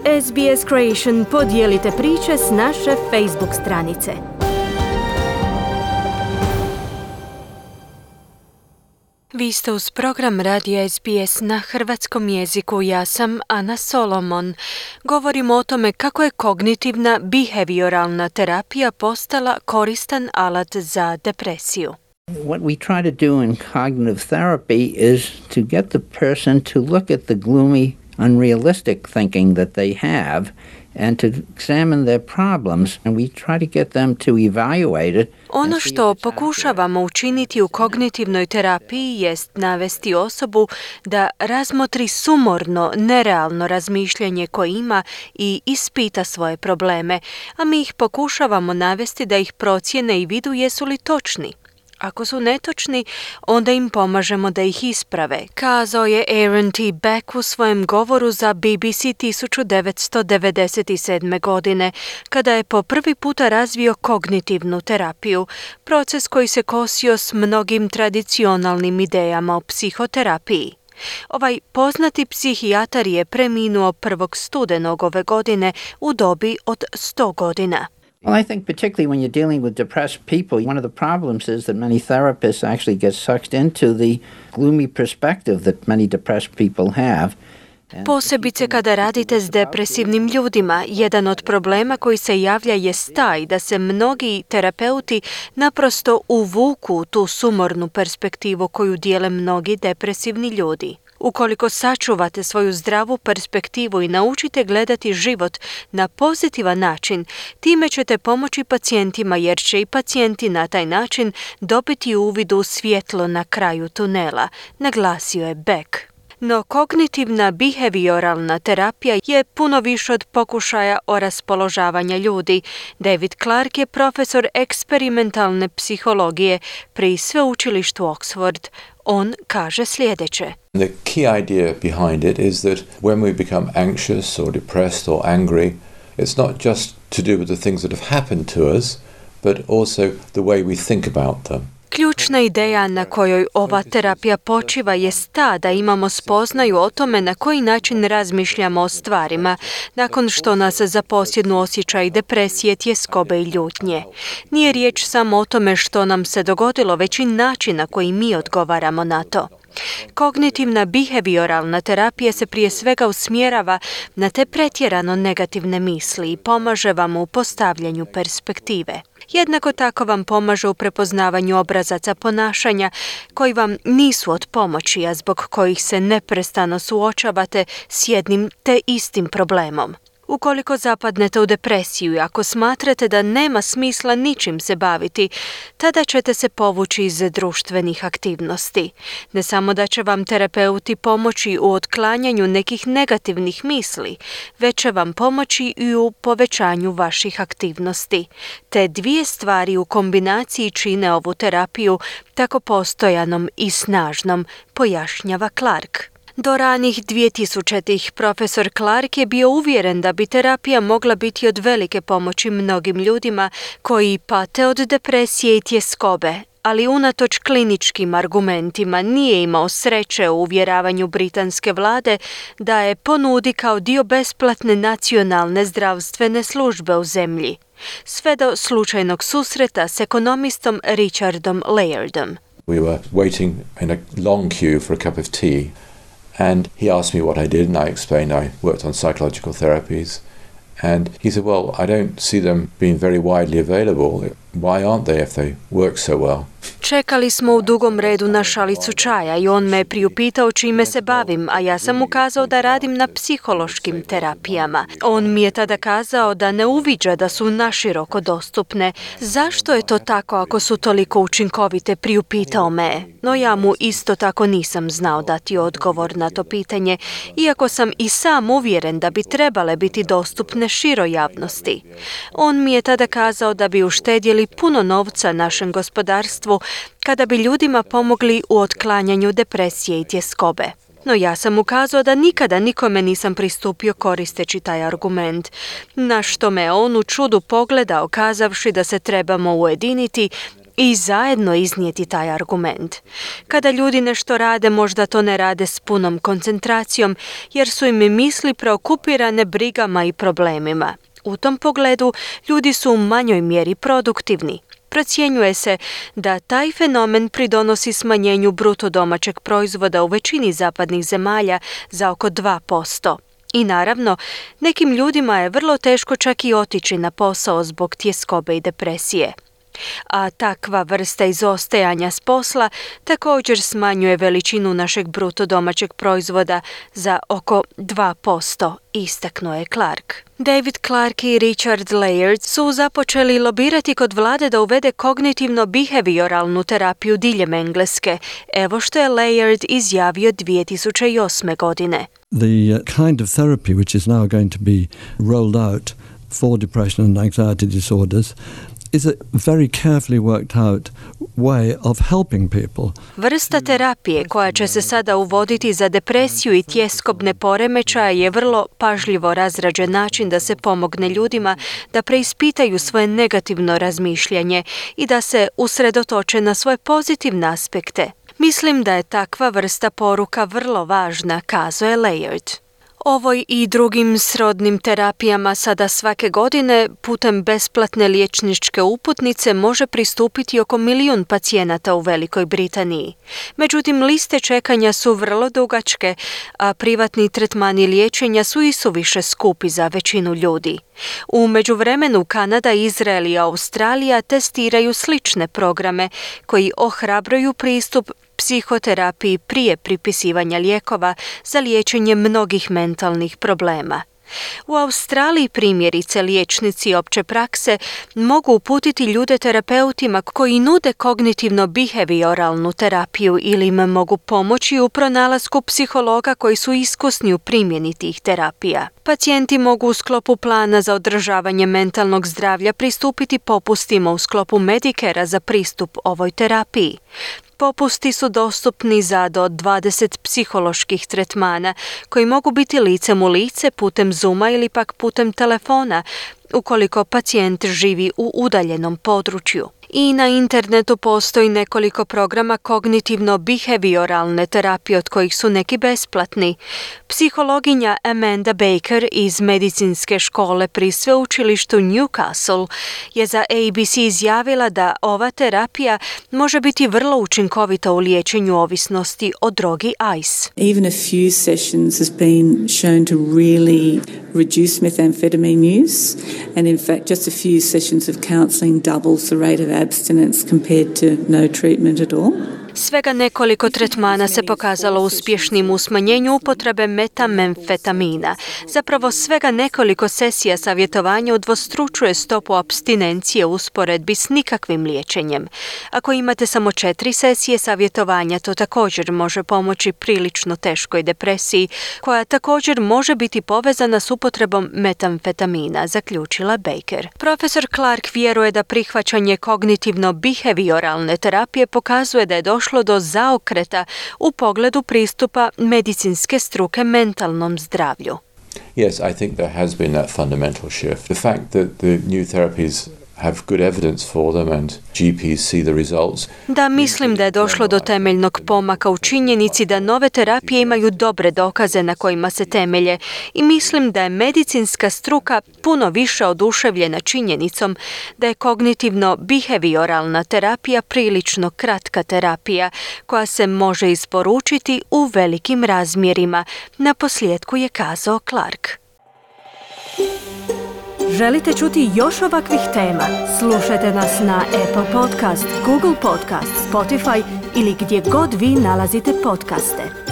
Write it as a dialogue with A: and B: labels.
A: SBS Creation podijelite priče s naše Facebook stranice. Vi ste uz program Radija SBS na hrvatskom jeziku. Ja sam Ana Solomon. Govorimo o tome kako je kognitivna behavioralna terapija postala koristan alat za depresiju.
B: What we try to do in cognitive therapy is to get the person to look at the gloomy, unrealistic thinking that they have and to examine their problems, and we try to get them to evaluate it.
A: Ono što pokušavamo učiniti u kognitivnoj terapiji jest navesti osobu da razmotri sumorno, nerealno razmišljanje koje ima i ispita svoje probleme, a mi ih pokušavamo navesti da ih procijene i vidu jesu li točni. Ako su netočni, onda im pomažemo da ih isprave, kazao je Aaron T. Beck u svojem govoru za BBC 1997. godine, kada je po prvi puta razvio kognitivnu terapiju, proces koji se kosio s mnogim tradicionalnim idejama o psihoterapiji. Ovaj poznati psihijatar je preminuo 1. studenog ove godine u dobi od 100 godina.
B: Well, I think particularly when you're dealing with depressed people, one of the problems is that many therapists actually get sucked into the gloomy perspective that many depressed people have.
A: Posebice kada radite s depresivnim ljudima, jedan od problema koji se javlja je taj da se mnogi terapeuti naprosto uvuku u tu sumornu perspektivu koju dijele mnogi depresivni ljudi. Ukoliko sačuvate svoju zdravu perspektivu i naučite gledati život na pozitivan način, time ćete pomoći pacijentima jer će i pacijenti na taj način dobiti uvid u svjetlo na kraju tunela, naglasio je Beck. No kognitivna behavioralna terapija je puno više od pokušaja oraspoložavanja ljudi. David Clark je profesor eksperimentalne psihologije pri sveučilištu Oxford. On kaže sljedeće.
C: The key idea behind it is that when we become anxious or depressed or angry, it's not just to do with the things that have happened to us, but also the way we think about them.
A: Ključna ideja na kojoj ova terapija počiva je ta da imamo spoznaju o tome na koji način razmišljamo o stvarima, nakon što nas zaposjednu osjećaj depresije, tjeskobe i ljutnje. Nije riječ samo o tome što nam se dogodilo, već i način na koji mi odgovaramo na to. Kognitivna behavioralna terapija se prije svega usmjerava na te pretjerano negativne misli i pomaže vam u postavljanju perspektive. Jednako tako vam pomaže u prepoznavanju obrazaca ponašanja koji vam nisu od pomoći, a zbog kojih se neprestano suočavate s jednim te istim problemom. Ukoliko zapadnete u depresiju i ako smatrate da nema smisla ničim se baviti, tada ćete se povući iz društvenih aktivnosti. Ne samo da će vam terapeuti pomoći u otklanjanju nekih negativnih misli, već će vam pomoći i u povećanju vaših aktivnosti. Te dvije stvari u kombinaciji čine ovu terapiju tako postojanom i snažnom, pojašnjava Clark. Do ranih 2000-ih profesor Clark je bio uvjeren da bi terapija mogla biti od velike pomoći mnogim ljudima koji pate od depresije i tjeskobe, ali unatoč kliničkim argumentima nije imao sreće u uvjeravanju britanske vlade da je ponudi kao dio besplatne nacionalne zdravstvene službe u zemlji, sve do slučajnog susreta s ekonomistom Richardom Layardom.
C: We were waiting in a long queue for a cup of tea. And he asked me what I did, and I explained I worked on psychological therapies. And he said, well, I don't see them being very widely available. Why aren't they if they work so well?
A: Čekali smo u dugom redu na šalicu čaja i on me priupitao čime se bavim, a ja sam mu kazao da radim na psihološkim terapijama. On mi je tada kazao da ne uviđa da su naširoko dostupne. Zašto je to tako ako su toliko učinkovite, priupitao me. No ja mu isto tako nisam znao dati odgovor na to pitanje, iako sam i sam uvjeren da bi trebale biti dostupne široj javnosti. On mi je tada kazao da bi uštedjeli puno novca našem gospodarstvu kada bi ljudima pomogli u otklanjanju depresije i tjeskobe. No ja sam ukazao da nikada nikome nisam pristupio koristeći taj argument, na što me on u čudu pogledao kazavši da se trebamo ujediniti i zajedno iznijeti taj argument. Kada ljudi nešto rade, možda to ne rade s punom koncentracijom, jer su im misli preokupirane brigama i problemima. U tom pogledu ljudi su u manjoj mjeri produktivni. Procjenjuje se da taj fenomen pridonosi smanjenju bruto domaćeg proizvoda u većini zapadnih zemalja za oko 2%. I naravno, nekim ljudima je vrlo teško čak i otići na posao zbog tjeskobe i depresije. A takva vrsta izostajanja s posla također smanjuje veličinu našeg bruto domaćeg proizvoda za oko 2%, istaknuo je Clark. David Clark i Richard Layard su započeli lobirati kod vlade da uvede kognitivno-behavioralnu terapiju diljem Engleske. Evo što je Layard izjavio 2008. godine.
D: The kind of therapy which is now going to be rolled out for depression and anxiety disorders is a very carefully worked out way of helping people.
A: Vrsta terapije koja će se sada uvoditi za depresiju i tjeskobne poremećaje je vrlo pažljivo razrađen način da se pomogne ljudima da preispitaju svoje negativno razmišljanje i da se usredotoče na svoje pozitivne aspekte. Mislim da je takva vrsta poruka vrlo važna, kazao je Layard. Ovoj i drugim srodnim terapijama sada svake godine putem besplatne liječničke uputnice može pristupiti oko 1 milijun pacijenata u Velikoj Britaniji. Međutim, liste čekanja su vrlo dugačke, a privatni tretmani liječenja su isuviše skupi za većinu ljudi. U međuvremenu Kanada, Izrael i Australija testiraju slične programe koji ohrabruju pristup psihoterapiji prije pripisivanja lijekova za liječenje mnogih mentalnih problema. U Australiji primjerice liječnici opće prakse mogu uputiti ljude terapeutima koji nude kognitivno-behavioralnu terapiju ili im mogu pomoći u pronalasku psihologa koji su iskusni u primjeni tih terapija. Pacijenti mogu u sklopu plana za održavanje mentalnog zdravlja pristupiti popustima u sklopu Medicarea za pristup ovoj terapiji. Popusti su dostupni za do 20 psiholoških tretmana koji mogu biti licem u lice, putem Zooma ili pak putem telefona, ukoliko pacijent živi u udaljenom području. I na internetu postoji nekoliko programa kognitivno-behavioralne terapije od kojih su neki besplatni. Psihologinja Amanda Baker iz medicinske škole pri sveučilištu Newcastle je za ABC izjavila da ova terapija može biti vrlo učinkovita u liječenju ovisnosti o drogi ice.
E: Even a few sessions has been shown to really reduce methamphetamine use, and in fact just a few sessions of counselling doubles the rate of abstinence compared to no treatment at all.
A: Svega nekoliko tretmana se pokazalo uspješnim u smanjenju upotrebe metamfetamina. Zapravo svega nekoliko sesija savjetovanja udvostručuje stopu apstinencije u usporedbi s nikakvim liječenjem. Ako imate samo 4 sesije savjetovanja, to također može pomoći prilično teškoj depresiji, koja također može biti povezana s upotrebom metamfetamina, zaključila Baker. Profesor Clark vjeruje da prihvaćanje kognitivno-behavioralne terapije pokazuje da je došlo do zaokreta u pogledu pristupa medicinske struke mentalnom zdravlju.
C: Yes, I think there has been that fundamental shift. The fact that the new therapies have good evidence for them and GPs see the results.
A: Da, mislim da je došlo do temeljnog pomaka u činjenici da nove terapije imaju dobre dokaze na kojima se temelje i mislim da je medicinska struka puno više oduševljena činjenicom da je kognitivno-behavioralna terapija prilično kratka terapija koja se može isporučiti u velikim razmjerima, naposljetku je kazao Clark. Želite čuti još ovakvih tema? Slušajte nas na Apple Podcast, Google Podcast, Spotify ili gdje god vi nalazite podcaste.